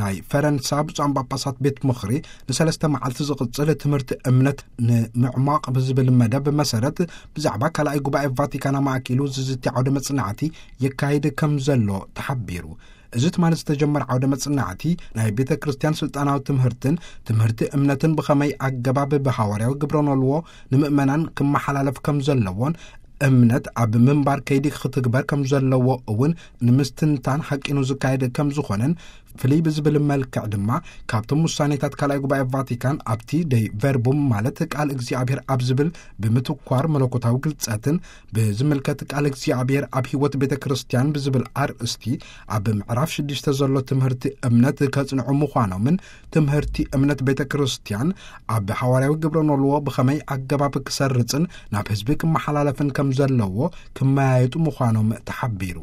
ናይ ፈረንሳ ብፁዓን ጳጳሳት ቤት ምኽሪ ንሰለስተ መዓልቲ ዝቕጽል ትምህርቲ እምነት ንምዕማቕ ብዝብል መደብ መሰረት፣ ብዛዕባ ካልኣይ ጉባኤ ቫቲካን ኣማእኪሉ ዝዝቲ ዓውደ መጽናዕቲ የካይድ ከም ዘሎ ተሓቢሩ። እዚ ትማሊ ዝተጀመረ ዓውደ መጽናዕቲ፣ ናይ ቤተ ክርስቲያን ስልጣናዊ ትምህርትን ትምህርቲ እምነትን ብኸመይ ኣገባብ ብሃዋርያዊ ግብረ ኖልዎ ንምእመናን ክመሓላለፍ ከም ዘለዎን፣ እምነት ኣብ ምንባር ከይዲ ክትግበር ከም ዘለዎ እውን ንምስትንታን ሓቂኑ ዝካየድ ከም ዝኾነን፣ ፍልይ ብዝብል መልክዕ ድማ ካብቶም ውሳኔታት ካልኣይ ጉባኤ ቫቲካን ኣብቲ ደይ ቨርቡም፣ ማለት ቃል እግዚኣብሔር ኣብ ዝብል ብምትኳር፣ መለኮታዊ ግልጸትን ብዝምልከት ቃል እግዚኣብሔር ኣብ ህይወት ቤተ ክርስቲያን ብዝብል ኣርእስቲ ኣብ ምዕራፍ ሽዱሽተ ዘሎ ትምህርቲ እምነት ከጽንዑ ምዃኖምን፣ ትምህርቲ እምነት ቤተ ክርስቲያን ኣብ ሃዋርያዊ ግብረ ኖልዎ ብኸመይ ኣገባብ ክሰርጽን ናብ ህዝቢ ክመሓላለፍን ከም ዘለዎ ክመያየጡ ምዃኖም ተሓቢሩ።